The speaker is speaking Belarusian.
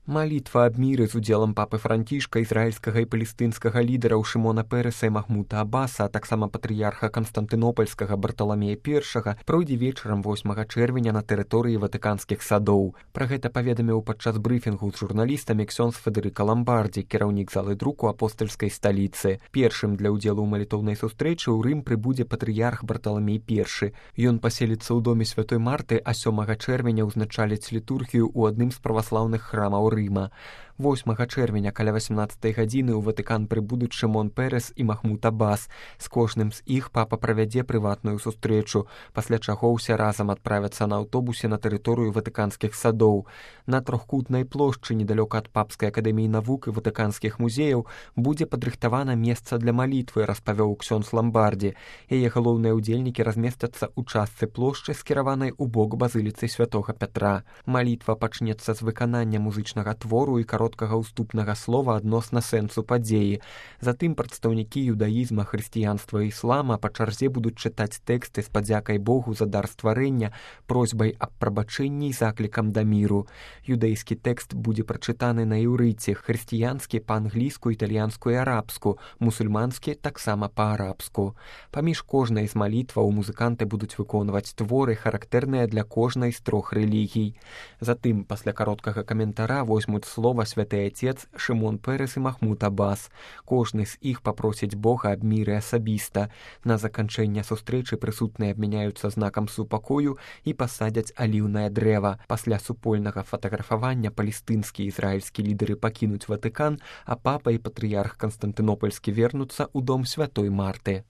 Малітва аб міры з удзелам папы Францішка, ізраільскага і палестынскага лідараў Шымона Пэрэса і Махмута Аббаса, а таксама патрыярха Канстантынопальскага Барталамея I, пройдзе вечарам 8 чэрвеня на тэрыторыі ватыканскіх садоў. Пра гэта паведаміў падчас брыфінгу з журналістамі ксёндз Федэрыка Ламбардзі, кіраўнік залы друку апостальскай сталіцы. Першым для ўдзелу ў малітоўнай сустрэчы ў Рым прыбудзе патрыярх Барталамей I. Ён паселіцца ў доме святой Марты, а 7 чэрвеня ўзначаліць літургію ў адным з праваслаўных храмаў Рыма. 8 чэрвеня каля 18 гадзіны ў Ватыкан прыбудуць Шымон Пэрэс і Махмут Аббас. З кожным з іх папа правядзе прыватную сустрэчу, пасля чаго ўсе разам адправяцца на аўтобусе на тэрыторыю ватыканскіх садоў. На трохкутнай плошчы недалёка ад папскай акадэміі навук і ватыканскіх музеяў будзе падрыхтавана месца для малітвы, распавёў ксёндз Ламбардзі. Яе галоўныя ўдзельнікі размесцяцца ў частцы плошчы, скіраванай у бок базыліцы святога Пятра. Малітва пачнецца з выканання музычнага твору і кароткага ўступнага слова адносна сэнсу падзеі. Затым прадстаўнікі юдаізма, хрысціянства і іслама па чарзе будуць чытаць тэксты з падзякай Богу за дар стварэння, просьбай аб прабачэнні і заклікам да міру. Юдэйскі тэкст будзе прачытаны на іўрыце, хрысціянскі па-англійску, італьянску і арабску, мусульманскі таксама па-арабску. Паміж кожнай з малітваў музыканты будуць выконваць творы, характэрныя для кожнай з трох рэлігій. Затым, пасля кароткага каментара возьмуць слова святы Отец, Шымон Пэрэс і Махмут Аббас. Кожны з іх папросіць Бога аб міры асабіста. На заканчэнне сустрэчы прысутныя абмяняюцца знакам супакою і пасадзяць аліўнае дрэва. Пасля супольнага фатаграфавання палестынскі і ізраільскі лідары пакінуць Ватыкан, а папа і патрыярх Канстантынопальскі вернуцца ў дом святой Марты.